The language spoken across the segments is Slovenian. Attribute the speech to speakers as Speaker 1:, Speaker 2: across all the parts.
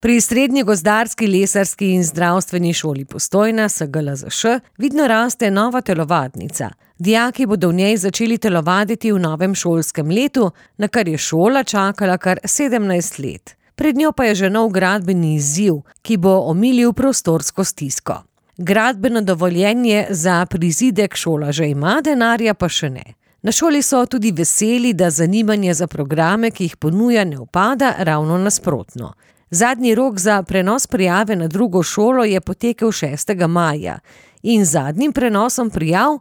Speaker 1: Pri Srednji gozdarski, lesarski in zdravstveni šoli Postojna SGLZŠ vidno raste nova telovadnica. Dijaki bodo v njej začeli telovaditi v novem šolskem letu, na kar je šola čakala kar 17 let. Pred njo pa je že nov gradbeni izziv, ki bo omilil prostorsko stisko. Gradbeno dovoljenje za prizidek šola že ima, denarja pa še ne. Na šoli so tudi veseli, da zanimanje za programe, ki jih ponuja, ne upada, ravno nasprotno. Zadnji rok za prenos prijave na drugo šolo je potekel 6. maja in z zadnjim prenosom prijav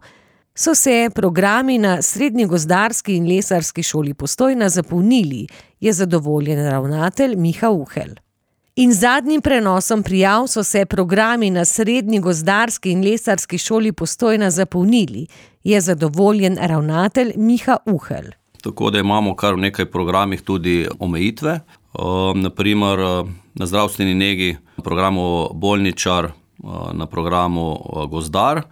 Speaker 1: so se programi na Srednji gozdarski in lesarski šoli Postojna zapolnili, je zadovoljen ravnatelj Miha Uhelj. In z zadnjim prenosom prijav so se programi na Srednji gozdarski in lesarski šoli Postojna zapolnili, je zadovoljen ravnatelj Miha Uhelj.
Speaker 2: Tako da imamo kar v nekaj programih tudi omejitve. Naprimer na zdravstveni negi, na programu bolničar, na programu gozdar.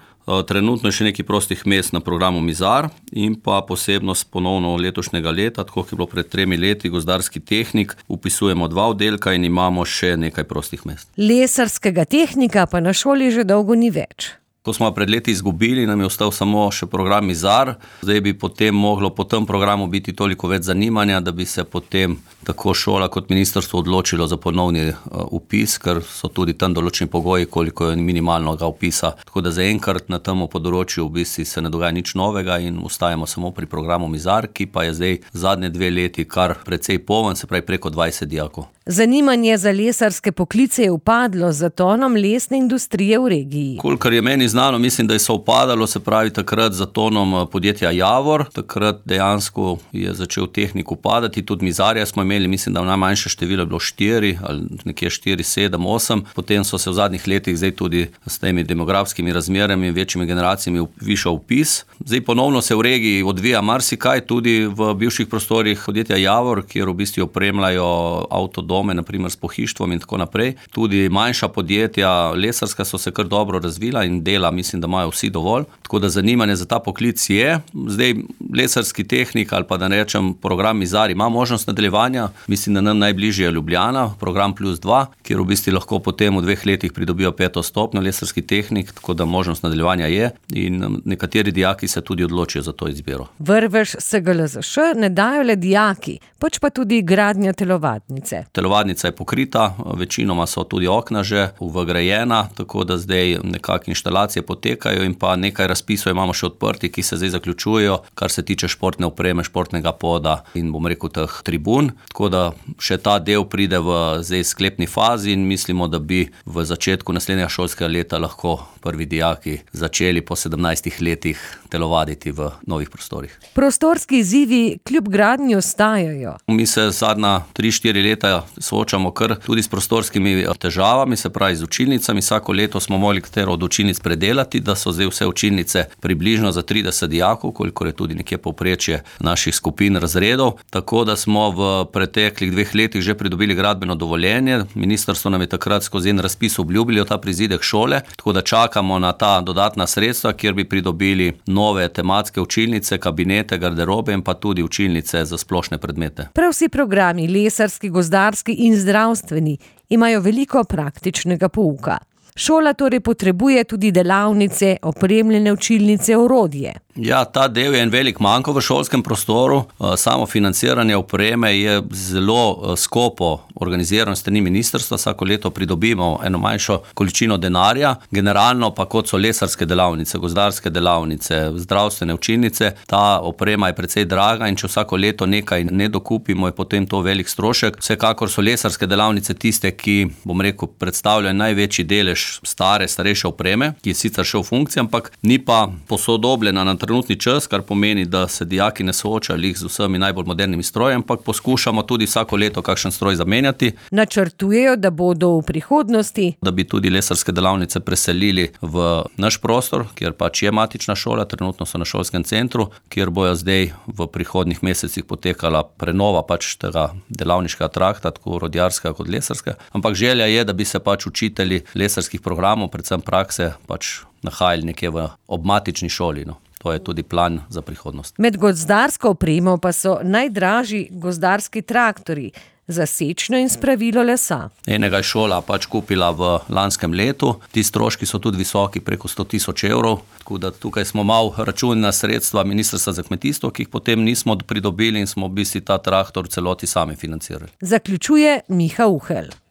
Speaker 2: Trenutno je še nekaj prostih mest na programu mizar in pa posebnost ponovno letošnjega leta, tako kot je bilo pred 3 leti, gozdarski tehnik, upisujemo 2 oddelka in imamo še nekaj prostih mest.
Speaker 1: Lesarskega tehnika pa na šoli že dolgo ni več.
Speaker 2: To smo pred leti izgubili, nam je ostal samo še program mizar. Zdaj bi potem moglo po tem programu biti toliko več zanimanja, da bi se potem tako šola kot ministrstvo odločilo za ponovni upis, ker so tudi tam določeni pogoji, koliko je minimalnega upisa. Tako da zaenkrat na tem področju v bistvu se ne dogaja nič novega in ostajamo samo pri programu mizar, ki pa je zdaj zadnje 2 leti kar precej poln, se pravi preko 20 dijakov.
Speaker 1: Zanimanje za lesarske poklice je upadlo z zatonom lesne industrije v regiji.
Speaker 2: Kolikor je meni znano, mislim, da je upadalo, se pravi takrat z zatonom podjetja Javor. Takrat dejansko je začel tehnik upadati, tudi mizarja smo imeli, mislim, da najmanjše število je bilo 4 ali nekje 4, 7, 8. Potem so se v zadnjih letih zdaj tudi s temi demografskimi razmerami in večjimi generacijami višal vpis. Zdaj ponovno se v regiji odvija marsikaj, tudi v bivših prostorih podjetja Javor, kjer v bistvu opremljajo avtodome, naprimer s pohištvom in tako naprej. Tudi manjša podjetja, lesarska, so se kar dobro razvila in dela, mislim, da imajo vsi dovolj. Tako da zanimanje za ta poklic je. Zdaj lesarski tehnik ali pa da rečem program mizar ima možnost nadaljevanja. Mislim, da nam najbližje je Ljubljana, program +2, kjer v bistvu lahko potem v 2 letih pridobijo 5. stopnjo lesarski tehnik, tako da možnost nadaljevanja je in nekateri dijaki se tudi odločijo za to izbiro.
Speaker 1: Vrvež SGLZŠ ne dajo le dijaki, pač pa tudi gradnja telovadnice.
Speaker 2: Telovadnica je pokrita, večinoma so tudi okna že vgrajena, tako da zdaj nekako inštalacije potekajo in pa nekaj razpisov imamo še odprti, ki se zdaj zaključujejo, kar se tiče športne opreme, športnega poda in bom rekel teh tribun. Tako da še ta del pride v zdaj sklepni fazi in mislimo, da bi v začetku naslednjega šolskega leta lahko prvi dijaki začeli po 17 letih telovaditi v novih prostorih.
Speaker 1: Prostorski izzivi kljub gradnji ostajajo.
Speaker 2: Mi se zadnja 3-4 leta soočamo kar tudi s prostorskimi težavami, se pravi z učilnicami. Vsako leto smo morali katero od učilnic predelati, da so zdaj vse učilnice približno za 30 dijakov, kolikor je tudi nekje povprečje naših skupin razredov. Tako da smo v preteklih 2 letih že pridobili gradbeno dovoljenje. Ministrstvo nam je takrat skozi en razpis obljubilo ta prizidek šole, tako da čakamo na ta dodatna sredstva, kjer bi pridobili nove tematske učilnice, kabinete, garderobe in pa tudi učilnice za splošne predmete.
Speaker 1: Prav vsi programi, lesarski, gozdarski in zdravstveni, imajo veliko praktičnega pouka. Šola torej potrebuje tudi delavnice, opremljene učilnice, orodje.
Speaker 2: Ja, ta del je en velik manko v šolskem prostoru. Samo financiranje opreme je zelo skopo organizirano s strani ministrstva. Vsako leto pridobimo eno manjšo količino denarja. Generalno pa kot so lesarske delavnice, gozdarske delavnice, zdravstvene učilnice, ta oprema je precej draga in če vsako leto nekaj ne dokupimo, je potem to velik strošek. Vsekakor so lesarske delavnice tiste, ki, bom rekel, predstavljajo največji delež starejše opreme, ki je sicer še v funkciji, ampak ni pa posodobljena na trenutni čas, kar pomeni, da se dijaki ne soočajo z vsemi najbolj modernimi stroji, ampak poskušamo tudi vsako leto kakšen stroj zamenjati.
Speaker 1: Načrtujejo, da bodo v prihodnosti,
Speaker 2: da bi tudi lesarske delavnice preselili v naš prostor, kjer pač je matična šola, trenutno so na šolskem centru, kjer bojo zdaj v prihodnjih mesecih potekala prenova pač tega delavniškega trakta, tako rodjarskega kot lesarskega. Ampak želja je, da bi se pač učitelji lesarskih programov, predvsem prakse, pač nahajali nekje v obmatični šoli. To je tudi plan za prihodnost.
Speaker 1: Med gozdarsko opremo pa so najdražji gozdarski traktorji. za sečno in spravilo lesa.
Speaker 2: Enega je šola pač kupila v lanskem letu, ti stroški so tudi visoki, preko 100.000 evrov, tako da tukaj smo malo računali na sredstva Ministrstva za kmetijstvo, ki jih potem nismo pridobili in smo v bistvu ta traktor v celoti sami financirali.
Speaker 1: Zaključuje Miha Uhelj.